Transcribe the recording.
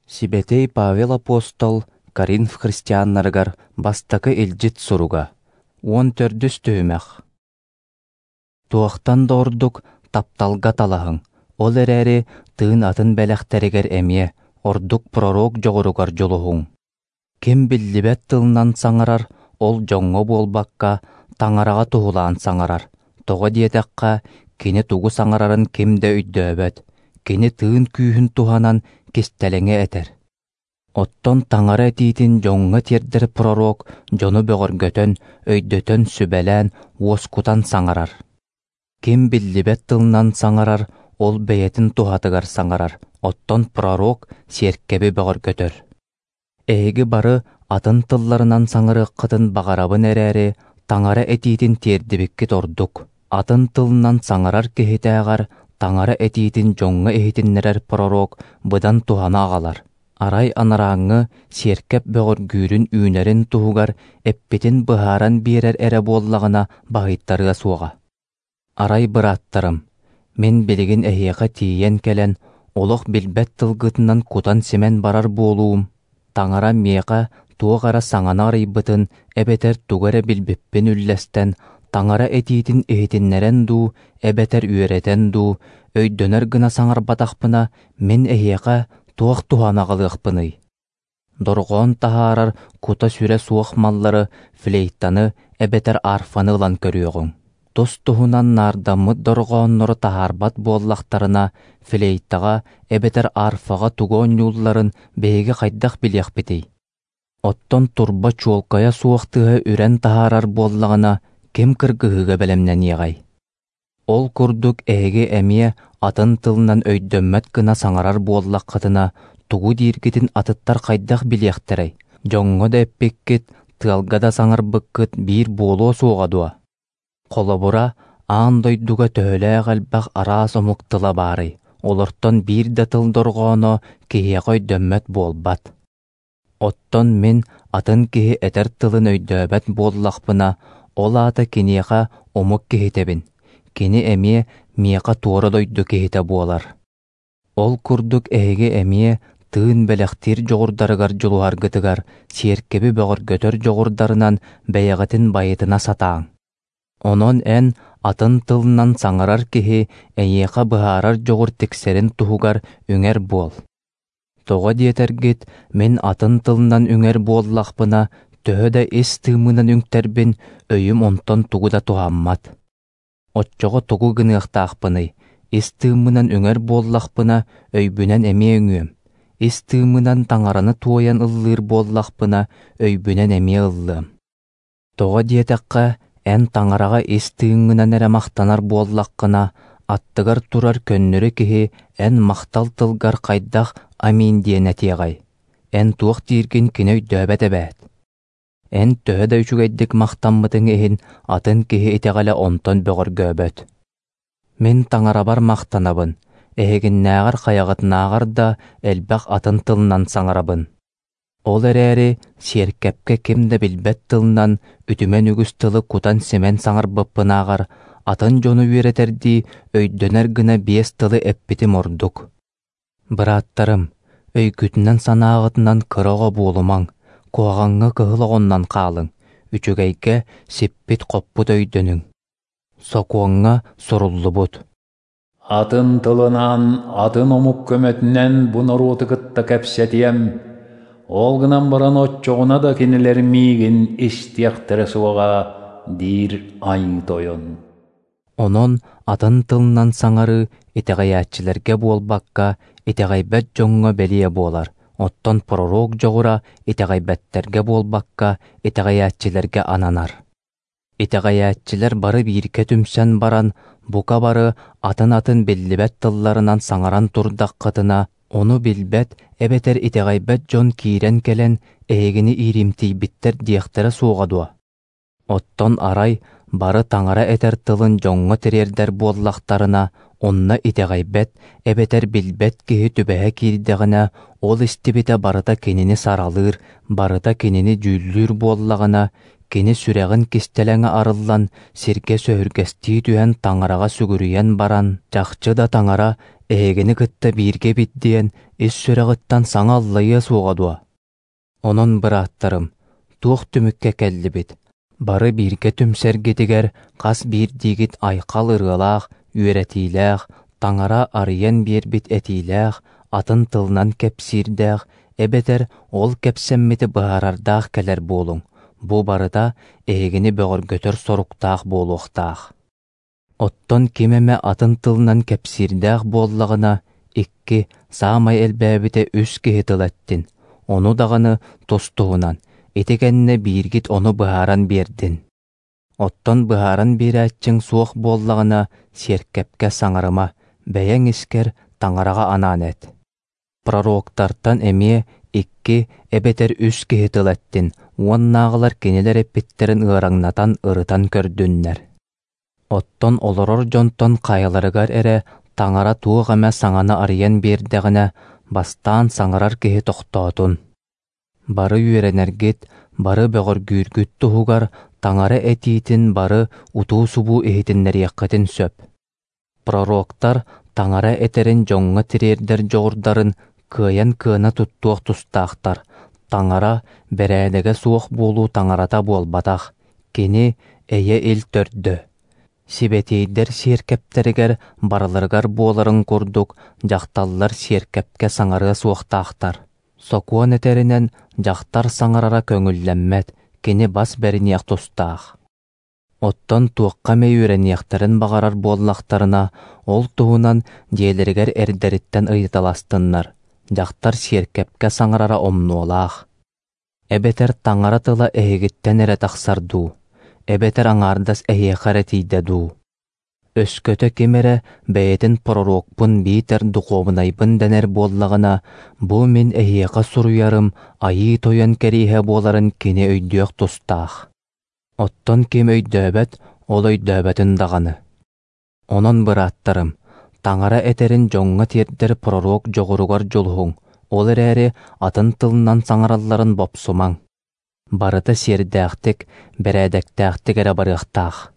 Сибэтиэй Павел апостол Коринф христианнарыгар бастакы илдьит суруга, 14-үс түһүмэх. Туохтан да ордук тапталга талаһыҥ, ол эрээри тыын атын бэлэхтэригэр эмиэ, ордук пророк дьоҕуругар дьулуһуҥ. Ким биллибэт тылынан саҥарар, ол дьоҥҥо буолбакка, Таҥараҕа туһулаан саҥарар, тоҕо диэтэххэ, кини тугу саҥарарын ким да өйдөөбөт, кини тыын күүһүн туһанан кистэлэҥи этэр. Оттон Таҥара этиитин дьоҥҥо тиэрдэр пророк дьону бөҕөргөтөн, өйдөтөн, сүбэлээн, уоскутан саҥарар. Ким биллибэт тылынан саҥарар, ол бэйэтин туһатыгар саҥарар, оттон пророк сиэркэби бөҕөргөтөр. Эһиги бары атын тылларынан саҥарыаххытын баҕарабын эрээри, Таҥара этиитин тиэрдибиккит ордук. Атын тылынан саҥарар киһитээҕэр Таҥара этиитин дьоҥҥо иһитиннэрэр пророк быдан туһаны аҕалар. Арай анарааҥҥы сиэркэп бөҕөргүүрүн үүнэрин туһугар эппитин быһааран биэрэр эрэ буоллаҕына баһыйтарыа суоҕа. Арай бырааттарым, мин билигин эһиэхэ тиийэн кэлэн, олох билбэт тылгытынан кутан-симэн барар буолуум, Таҥара миэхэ туох эрэ саҥаны арыйбытын эбэтэр тугу эрэ билбиппин үллэстэн, Таҥара этиитин иһитиннэрэн дуу, эбэтэр үөрэтэн дуу, өйдөнөр гына саҥарбатахпына, мин эһиэхэ туох туһаны аҕалыахпыный? Дорҕоон таһаарар кута-сүрэ суох маллары, флейтаны эбэтэр арфаны ылан көрүөҕүҥ. Тус-туһунан наардаммыт дорҕооннору таһаарбат буоллахтарына, флейтаҕа эбэтэр арфаҕа тугу оонньуулларын биһиги хайдах билиэхпитий? Оттон турба чуолкайа суох тыаһы үрэн таһаарар буоллаҕына, ким кыргыһыыга бэлэмнэниэҕэй? Ол курдук эһиги эмиэ атын тылынан өйдөммөт гына саҥарар буоллаххытына, тугу дииргитин атыттар хайдах билиэхтэрэй? Дьоҥҥо да эппиккит, тыалга да саҥарбыккыт биир буолуо суоҕа дуо? Холобура, аан дойдуга төһөлөөх элбэх араас омук тыла баарый, олортон биир да тыл дорҕооно киһиэхэ өйдөммөт буолбат. Оттон мин атын киһи этэр тылын өйдөөбөт буоллахпына, ол аата киниэхэ омук киһитэбин, кини эмиэ миэхэ туора дойду киһитэ буолар. Ол курдук эһиги эмиэ тыын бэлэхтиир дьоҕурдарыгар дьулуһаргытыгар сиэркэби бөҕөргөтөр дьоҕурдарынан бэйэҕитин байытына сатааҥ. Онон эн атын тылынан саҥарар киһи эйиэхэ быһаарар дьоҕур тиксэрин туһугар үҥэр буол. Тоҕо диэтэргит, мин атын тылынан үҥэр буоллахпына, төһө да ис тыыммынан үҥтэрбин, өйүм онтон тугу да туһаммат. Оччоҕо тугу гыныахтаахпыный? Ис тыыммынан үҥэр буоллахпына, өйбүнэн эмиэ үҥүөм. Ис тыыммынан Таҥараны туойан ыллыыр буоллахпына, өйбүнэн эмиэ ыллыам. Тоҕо диэтэххэ, эн Таҥараҕа ис тыыҥҥынан эрэ махтанар буоллаххына, аттыгар турар көннөрү киһи эн махтал тылгар хайдах «Аминь» диэн этиэҕэй? Эн туох дииргин кини өйдөөбөт эбээт. Эн төһө да үчүгэйдик махтаммытыҥ иһин, атын киһи итэҕэлэ онтон бөҕөргөөбөт. Мин Таҥарабар махтанабын, эһигиннээҕэр хайаҕытынааҕар да элбэх атын тылынан саҥарабын. Ол эрээри сиэркэпкэ ким да билбэт тылынан үтүмэн үгүс тылы кутан-симэн саҥарбыппынааҕар, атын дьону үөрэтэрдии өйдөнөр гына биэс тылы эппитим ордук. Бырааттарым, өйгүтүнэн-санааҕытынан кыра оҕо буолумаҥ, куһаҕаҥҥа кыһыл оҕоннон хаалыҥ, үчүгэйгэ сиппит-хоппут өйдөнүҥ. Сокуоҥҥа суруллубут. Атын тылынан, атын омук көмөтүнэн бу норуоту кытта кэпсэтиэм, ол гынан баран оччоҕуна да кинилэр миигин истиэхтэрэ суоҕа, диир Айыы Тойон. Онон атын тылынан саҥарыы итэҕэйээччилэргэ буолбакка, итэҕэйбэт дьоҥҥо бэлиэ буолар, оттон пророк дьоҕура итэҕэйбэттэргэ буолбакка, итэҕэйээччилэргэ ананар. Итэҕэйээччилэр бары бииргэ түмсэн баран, бука бары атын-атын биллибэт тылларынан саҥаран турдаххытына, ону билбэт эбэтэр итэҕэйбэт дьон киирэн кэлэн эһигини ииримтийбиттэр диэхтэрэ суоҕа дуо? Оттон арай бары Таҥара этэр тылын дьоҥҥо тириэрдэр буоллахтарына, онно итэҕэйбэт эбэтэр билбэт киһи түбэһэ киирдэҕинэ, ол истибитэ барыта кинини саралыыр, барыта кинини дьүүллүүр буоллаҕына, Кини сүрэҕин кистэлэҥэ арыллан, сиргэ сөһүргэстии түһэн Таҥараҕа сүгүрүйэн баран, чахчы да Таҥара эһигини кытта бииргэ эбит диэн ис сүрэҕиттэн саҥа аллайыа суоҕа дуо? Онон, бырааттарым, туох түмүккэ кэллибит? Бары бииргэ түмсэргитигэр хас биирдиигит айхал ырыалаах, үөрэтиилээх, Таҥара арыйан биэрбит этиилээх, атын тылынан кэпсиирдээх эбэтэр ол кэпсэммити быһаарардаах кэлэр буолуҥ. Бу барыта эһигини бөҕөргөтөр соруктаах буолуохтаах. Оттон ким эмэ атын тылынан кэпсиирдээх буоллаҕына, икки, саамай элбээбитэ үс киһи тыл эттин, ону даҕаны тус-туһунан, ити кэннэ бииргит ону быһааран биэрдин. Оттон быһааран биэрээччиҥ суох буоллаҕына, сиэркэпкэ саҥарыма, бэйэҥ искэр Таҥараҕа анаан эт. Пророктартан эмиэ икки эбэтэр үс киһи тыл эттин, уоннааҕылар кинилэр эппиттэрин ыараҥнатан ырытан көрдүннэр. Оттон олорор дьонтон хайаларыгар эрэ Таҥара туох эмэ саҥаны арыйан биэрдэҕинэ, бастаан саҥарар киһи тохтоотун. Бары үөрэнэргит, бары бөҕөргүүргүт туһугар Таҥара этиитин бары утуу-субуу иһитиннэриэххитин сөп. Пророктар Таҥара этэрин дьоҥҥо тириэрдэр дьоҕурдарын кыайан кыана туттуох тустаахтар. Таҥара бэрээдэгэ суох буолуу таҥарата буолбатах, кини эйэ-ил төрдө. Сибэтиэйдэр сиэркэптэригэр барыларыгар буоларын курдук, дьахталлар сиэркэпкэ саҥарыа суохтаахтар. Сокуон этэринэн, дьахтар саҥарара көҥүллэммэт, кини бас бэриниэх тустаах. Оттон туохха эмэ үөрэниэхтэрин баҕарар буоллахтарына, ол туһунан дьиэлэригэр эрдэриттэн ыйыталастыннар, дьахтар сиэркэпкэ саҥарара омнуолаах. Эбэтэр Таҥара тыла эһигиттэн эрэ тахсар дуу, эбэтэр аҥаардас эһиэхэ эрэ тиийдэ дуу? Өскөтө ким эрэ бэйэтин пророкпун биитэр духуобунайбын дэнэр буоллаҕына, бу мин эһиэхэ суруйарым Айыы Тойон кэриэһэ буоларын кини өйдүөх тустаах. Оттон ким өйдөөбөт, ол өйдөөбөтүн даҕаны. Онон, бырааттарым, Таҥара этэрин дьоҥҥо тиэрдэр пророк дьоҕуругар дьулуһуҥ, ол эрээри атын тылынан саҥаралларын бопсумаҥ. Барыта сиэрдээхтик, бэрээдэктээхтик эрэ барыахтаах.